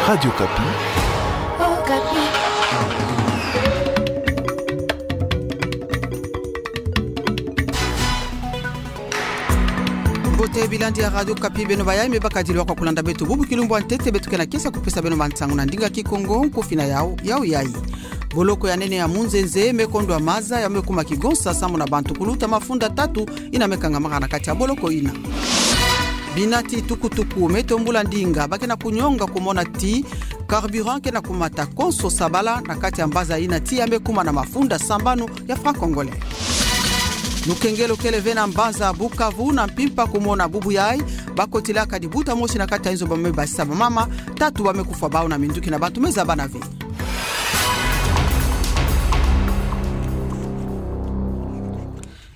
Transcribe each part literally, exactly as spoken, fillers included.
Radio Kapi. Oh, Kapi. Mbote bilandi ya Radio Kapi, beno bayai me bakadilwaka kulanda beto bubu kilumbu ya ntete. Beto ke na kiese kupesa beno bansangu na ndinga Kikongo. Nkufi na yau, yau yai. Boloko ya nene ya Munzenze me kondwa maza ya me kuma kigonsa samu na bantu kuluta mafunda tatu ina me kangamaka na kati ya boloko ina. Binati tukutuku me tombula ndinga ba ke na kunyonga kumona ti carburant ke na kumata konso sabala na kati ya mbanza ina ti ya me kuma na mafunda sambanu ya franc congolais. Lukengelo kele ve na mbanza Bukavu na mpimpa kumona bubu yai ba kotilaka dibuta mosi na kati ya inzo ba me basisa bamama tatu ba me kufwa bau na minduki na bantu me zabana ve.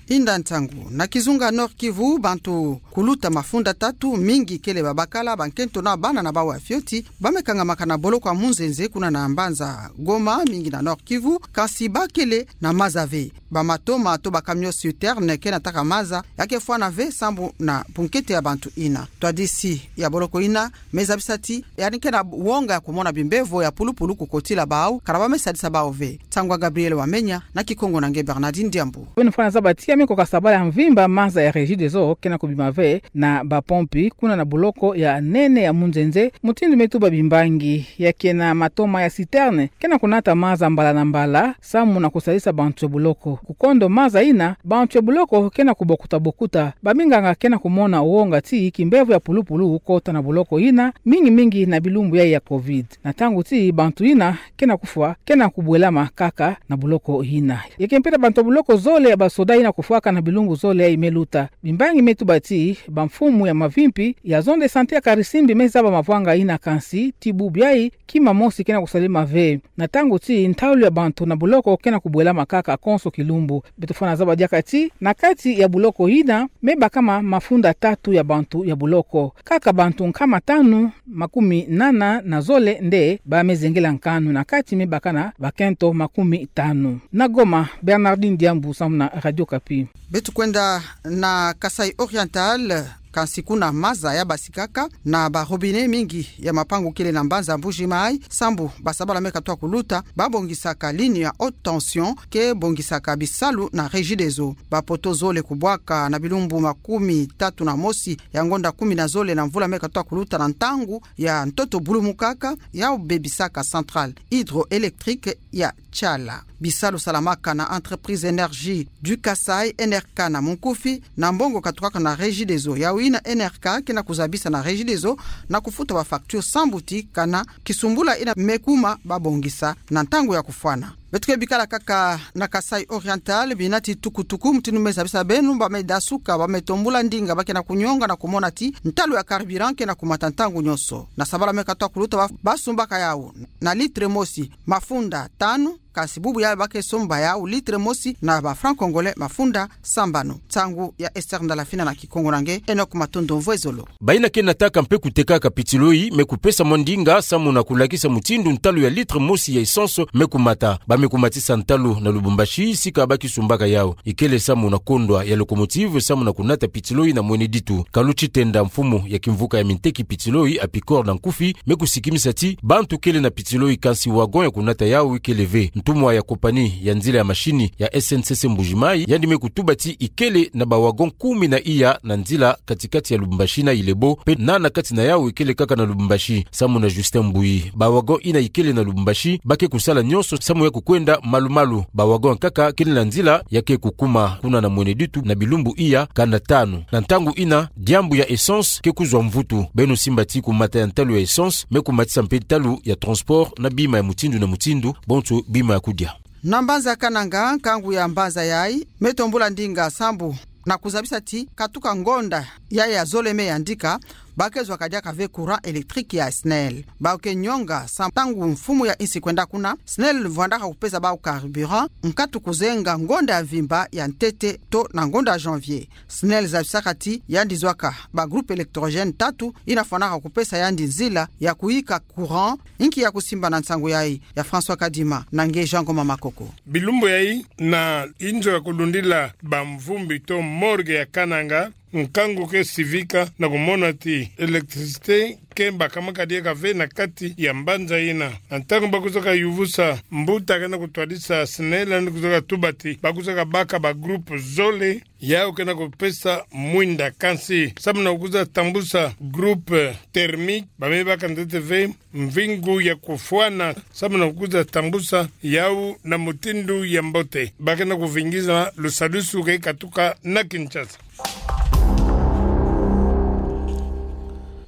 Inda ntangu, na kizunga Nord-Kivu, bantu kuluta mafunda tatu, mingi kele babakala, bankento na bana na bau ya fioti, ba me kangamaka na boloko ya Munzenze kuna na mbanza Goma, mingi na Nord-Kivu, kansi ba kele na maza ve. Bamatoma to bacamion citerne ke na taka maza ya ke fwana ve sambu na bunkete ya bantu ina. Twadisi ya boloko ina me zabisa ti yandi ke na wonga ya kumona bimbevo ya pulupulu kukotila bau, kala ba me sadisa bau ve. Ntangu ya Gabriel Wamenya, na Kikongo na nge Bernardine Diambu. Beno fwana zaba ti ya me koka sabala ya mvimba maza ya Regideso ke na kubima ve na bapompi kuna na boloko ya nene ya Munzenze, mutindu me tuba bimbangi. Ya ke na matoma ya citerne ke na kunata maza mbala na mbala samu na kusadisa bantu ya boloko. Kukondo maza ina, bantu ya boloko ke na kubokuta-bokuta. Baminganga ke na kumona wonga ti kimbevo ya pulupulu kukota na boloko ina, mingi-mingi na bilumbu yai ya covid. Na ntangu ti bantu ina ke na kufwa, ke na kubwelama kaka na boloko ina. Ya ke mpeta bantu ya boloko zole ya basoda ina kufwaka na bilumbu zole yai me luta. Bimbangi me tuba ti bamfumu ya mavimpi ya zone de santé ya Karisimbi me zaba mavwanga ina kansi ti bubu yai kima mosi ke na kusalema ve. Na ntangu ti ntalu ya bantu na boloko ke na kubwelama kaka konso kilumbu. Beto fwana zaba diaka ti na kati ya boloko ina me bakama mafunda tatu ya bantu ya boloko. Kaka bantu nkama tanu makumi nana na zole nde ba me zengela nkanu, na kati me baka na bakento makumi tanu. Na Goma, Bernardine Diambu samu na Radio Kapi. Beto kwenda na Kasaï Oriental, kansi kuna maza ya basikaka na ba robinet mingi ya mapangu kele na mbanza Mbuji-Mayi, sambu ba sabala me katuka kuluta ba bongisaka ligne ya haute tension ke bongisaka bisalu na Regideso. Bapoto zole kubwaka na bilumbu makumi tatu na mosi ya ngonda kumi na zole na mvula me katuka kuluta na ntangu ya ntoto bulumukaka, yau bebisaka centrale hydroélectrique ya Tshala. Bisalu salamaka na entreprise Énergie du Kasaï, N R K na munkufi, na mbongo katukaka na Regideso. Yau ina N R K ke na kuzabisa na Regideso na kufuta ba facture sambu ti kana kisumbula ina me kuma ba bongisa na ntangu ya kufwana. Beto ke bikala kaka na Kasaï Oriental, binati tukutuku, mutindu me zabisa beno, ba me dasuka, ba me tombula ndinga ba ke na kunyonga na kumona ti ntalu ya carburant ke na kumata ntangu nyonso. Na sabala me katuka kuluta ba, ba sumbaka yau na litre mosi mafunda tanu, kansi bubu yai ba ke somba yau litre mosi na ba franc congolais mafunda sambanu. Nsangu ya Esther Ndalafina na Kikongo na nge Enoch Matondo Mvwezolo. Baina ke nataka mpe kutekaka pitiloi me kupesa mwa ndinga samu na kulakisa mutindu ntalu ya litre mosi ya essence me kumata. Ba me kumatisa ntalu na Lubumbashi, sika ba kisumbaka yau ikele samu na kondwa ya locomotive samu na kunata pitiloi na mwene ditu. Kalu Tshitenda, mfumu ya kimvuka ya minteki pitiloi, Apicor na nkufi, me kusikimisa ti bantu kele na pitiloi kansi wagon ya kunata yau ikele ve. Ntumwa ya kopani ya nzila ya mashini ya S N C C Mbuji-Mayi, yandi me kutuba ti ikele na ba wagon kumi na iya na nzila katikati ya Lubumbashi na Ilebo, mpe nana kati na yau ikele kaka na Lubumbashi. Samu na Justin Mbuyi, ba wagon ina ikele na Lubumbashi ba ke kusala nyonso samu ya kukwenda malu-malu. Ba wagon nkaka kele na nzila ya ke kukuma kuna na mwene ditu na bilumbu iya kanda tanu. Na ntangu ina, diambu ya essence ke kuzwa mvutu. Beno simba ti kumata ya ntalu ya essence me kumatisa mpe ntalu ya transport na bima ya mutindu na mutindu, bonso bima ya kudia. Na mbanza Kananga, nkangu ya mbanza yai me tombula ndinga sambu na kuzabisa ti katuka ngonda yai ya zole me yandika, ba ke zwaka diaka ve courant électrique ya SNEL. Bau ke nyonga sa ntangu mfumu ya insi kwenda kuna, SNEL vwandaka kupesa bau carburant, nkatu kuzenga ngonda ya mvimba ya ntete to na ngonda janvier. SNEL zabisaka ti yandi zwaka ba groupe électrogène tatu ina fwanaka kupesa yandi nzila ya kuyika courant. Inki ya kusimba na nsangu yai? Ya François Kadima na nge Jean Ngoma Makoko. Bilumbu yai na inzo ya kulundila bamvumbi to morgue ya Kananga nkangu ke sivika na kumona ti électricité ke bakamaka diaka ve na kati ya mbanza ina. Na ntangu bakwizaka yuvusa mbuta ke na kutwadisa SNEL, yandi kwizaka tuba ti bakwizaka baka ba groupe zole, yau ke na kupesa mwinda kansi. Samu na kukwiza tambusa groupe thermique, ba me baka ntete ve mvingu ya kufwana, samu na kukwiza tambusa yau na mutindu ya mbote. Ba ke na kuvingisa lusadisu ke katuka na Kinshasa.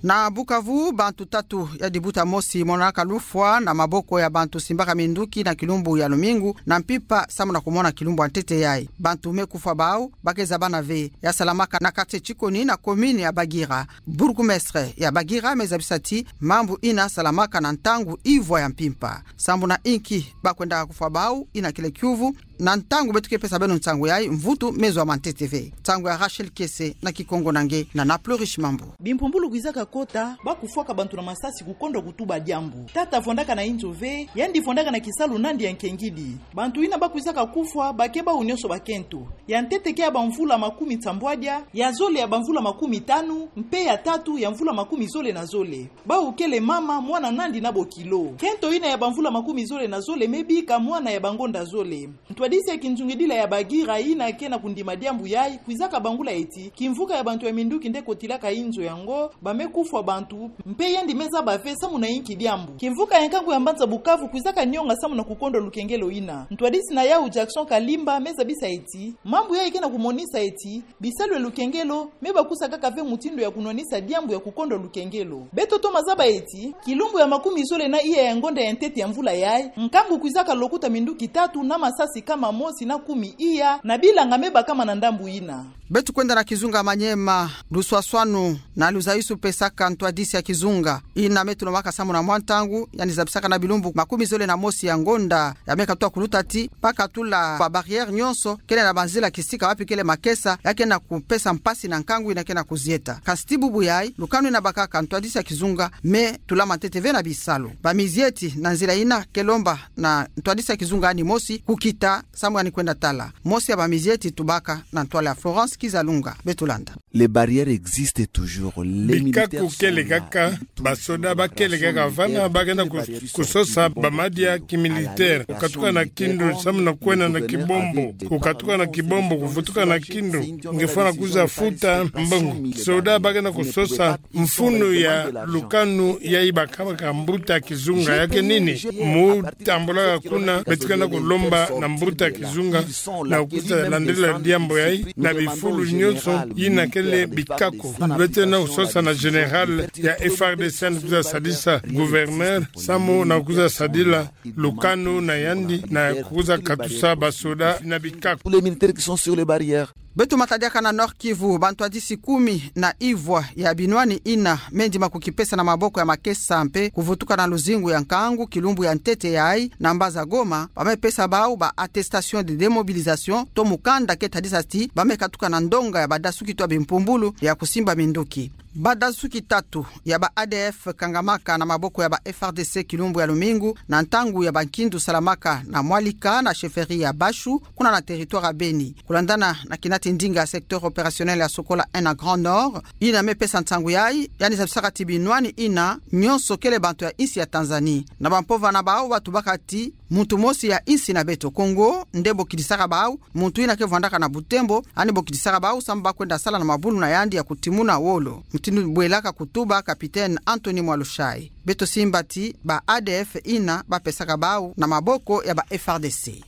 Na Bukavu, bantu tatu ya dibuta mosi monaka lufwa na maboko ya bantu simbaka minduki na kilumbu ya lumingu na mpimpa samu na kumona kilumbu ya ntete yayi. Bantu me kufwa bau ba ke zabana ve. Ya salamaka na quartier Chikoni na commune ya Bagira. Bourgmestre ya Bagira me zabisa ti mambu ina salamaka na ntangu ivwa ya mpimpa. Sambu na inki ba kwendaka kufwa bau ina kile kiuvu? Na ntangu beto ke pesa beno nsangu yayi, mvutu me zwa ma ntete ve. Nsangu ya Rachel Kese na Kikongo na nge na Naplurish Mambu. Bimpumbulu kwizaka kota, ba kufwaka bantu na masasi kukondwa kutuba diambu. Tata vwandaka na inzo ve, yandi vwandaka na kisalu nandi ya nkengidi. Bantu ina ba kwizaka kufwa ba ke bau nyonso bakento. Ya ntete ke ya bamvula makumi nsambwadia, ya zole ya bamvula makumi tanu, mpe ya tatu ya mvula makumi zole na zole. Bau kele mama, mwana nandi na bokilo. Kento ina ya bamvula makumi zole na zole me bika mwana ya bangonda zole. Ntwadisi ya kinzungidila ya Bagira ina ke na kundima diambu yayi kwizaka bangula eti kimvuka ya bantu ya minduki nde kotilaka inzo yango, ba me kufwa bantu, mpe yandi me zaba ve samu na inki diambu. Kimvuka ya nkangu ya mbanza Bukavu kwizaka nyonga samu na kukondwa lukengelo ina. Ntwadisi na yau Jackson Kalimba me zabisa eti mambu yayi ke na kumonisa eti bisalu ya lukengelo me bakusa kaka ve mutindu ya kunwanisa diambu ya kukondwa lukengelo. Beto toma zaba eti kilumbu ya makumi zole na iya ya ngonda ya ntete ya mvula yayi, nkangu kwizaka lokuta minduki tatu na masasi kama mosi na kumi iya na bilanga me bakama na ndambu ina. Beto kwenda na kizunga Maniema, luswaswanu na luzayusu pesaka ntwadisi ya kizunga ina me tulomaka samu na mwa ntangu, yandi zabisaka na bilumbu makumi zole na mosi ya ngonda ya me katuka kuluta ti ba katula ba barrière nyonso kele na banzila kisika wapi kele makesa ya ke na kupesa mpasi na nkangu ina ke na kuzieta. Kasi ti bubu yayi, lukanu ina bakaka ntwadisi ya kizunga me tula ma ntete ve na bisalu. Bamizieti na nzila ina ke lomba na ntwadisi ya kizunga yandi mosi kukita samu yandi kwenda tala. Mosi ya bamizieti tubaka na ntwala ya Florence Kizalunga. Beto landa. Les barrières existent toujours. Les militaires sont là. Bikaku kele kaka, basoda ba kele kaka vana, ba ke na ku-, kusosa bamadia kimilitaire. Kukatuka na kindu samu na kwenda na kibombo. Kukatuka na kibombo, kuvutuka na kindu, nge fwana kwiza futa mbongo. Soda ba ke na kusosa mfunu ya lukanu yayi bakamaka mbuta kizunga ya ke nini. Mu tambula kuna, beto ke na kulomba na mbuta kizunga na kwiza landila diambu yayi na bifulu nyonso ina kele bikaku. Beto ke na kusosa na général ya F R D C yandi kwiza sadisa gouverneur samu na kwiza sadila lukanu na yandi na kwiza katusa basoda na bikaku. Tous les militaires qui sont sur les barrières. Beto matadiaka na Nord-Kivu, bantwadisi kumi na ivwa ya binwani ina me ndima kukipesa na maboko ya makesa mpe kuvutuka na luzingu ya nkangu kilumbu ya ntete yayi na mbanza Goma, ba me pesa bau ba attestation de démobilisation to mukanda ke tadisa ti ba me katuka na ndonga ya badasuki to ya bimpumbulu ya kusimba minduki. Badasuki tatu ya ba A D F kangamaka na maboko ya ba F R D C kilumbu ya lumingu na ntangu ya bankindu salamaka na Mwalika na chefferie ya Bashu, kuna na territoire ya Beni. Kulandana na kinati ndinga ya secteur opérationnel ya Sokola un na Grand Nord, ina me pesa nsangu yayi, yandi zabisaka ti binwani ina nyonso kele bantu ya insi ya Tanzanie. Na bampovana bau ba tubaka ti muntu mosi ya insi na beto Kongo nde bokidisaka bau, muntu ina ke vwandaka na Butembo, yandi bokidisaka bau samu ba kwenda sala na mabulu na yandi ya kutimuna wolo, mutindu bwelaka kutuba capitaine Anthony Mwalushayi. Beto simba ti ba A D F ina ba pesaka bau na maboko ya ba F R D C.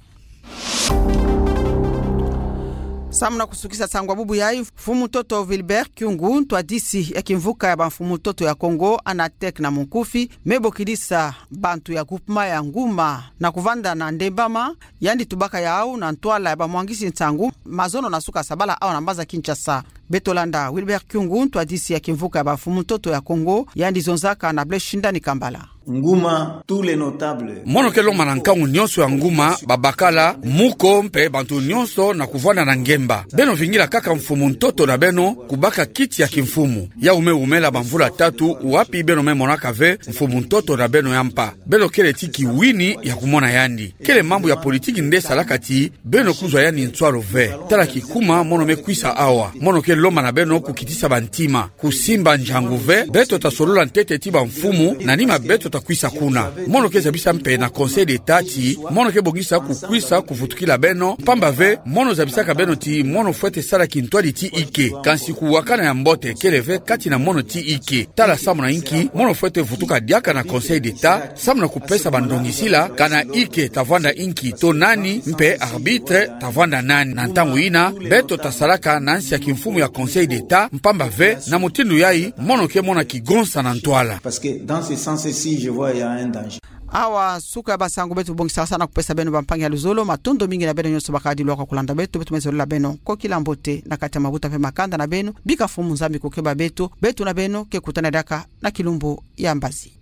Samu na kusukisa nsangu ya bubu yayi, mfumu ntoto Wilbert Kyungu, ntwadisi ya kimvuka ya bamfumu ntoto ya Kongo, Anatek na munkufi, me bokidisa bantu ya groupement ya Nguma na kuvanda na Ndembama, yandi tubaka yau na ntwala ya bamwangisi nsangu mazono na suka sabala awa na mbanza Kinshasa. Beto landa Wilbert Kyungu, ntwadisi ya kimvuka ya bamfumu ntoto ya Kongo, yandi zonzaka na Blaise Shindani Kambala. Nguma, tous les notables. Mono ke lomba na nkangu nyonso ya Nguma, babakala, muko mpe bantu nyonso na kuvanda na ngemba. Beno vingila kaka mfumu ntoto na beno kubaka kiti ya kimfumu. Yau me wumela bamvula tatu wapi beno me monaka ve mfumu ntoto na beno ya mpa. Beno kele ti kiwini ya kumona yandi. Kele mambu ya politiki nde salaka ti beno kuzwa yandi nswalu ve. Tala kikuma mono me kwisa awa. Mono ke lomba na beno kukitisa bantima, kusimba njangu ve. Beto tasolola ntete ti bamfumu na nima beto takwisa kuna. Mono ke zabisa mpe na Conseil d'Etat ti mono ke bongisa kukwisa kuvutukila beno, mpamba ve mono zabisaka beno ti mono fwete sala kintwadi ti ike. Kansi kuwakana ya mbote kele ve kati na mono ti ike. Tala samu na inki mono fwete vutuka diaka na Conseil d'Etat, samu na kupesa bandongisila, kana ike tavwanda inki to nani, mpe arbitre tavwanda nani. Na ntangu ina, beto tasalaka na nsi ya kimfumu ya Conseil d'Etat, mpamba ve na mutindu yai mono ke mona kigonsa na ntwala. Parce que dans ce sens-ci, je vois, il y a un danger. Awa suka ya basangu beto, bongisaka sana kupesa beno bampangi ya luzolo. Matondo mingi na beno nyonso bakadi lwaka kulanda beto. Beto me zolila beno kokila mbote na kati ya mabuta mpe makanda na beno. Bika Mfumu Nzambi kukeba beto. Beto na beno ke kutana diaka na kilumbu ya mbazi.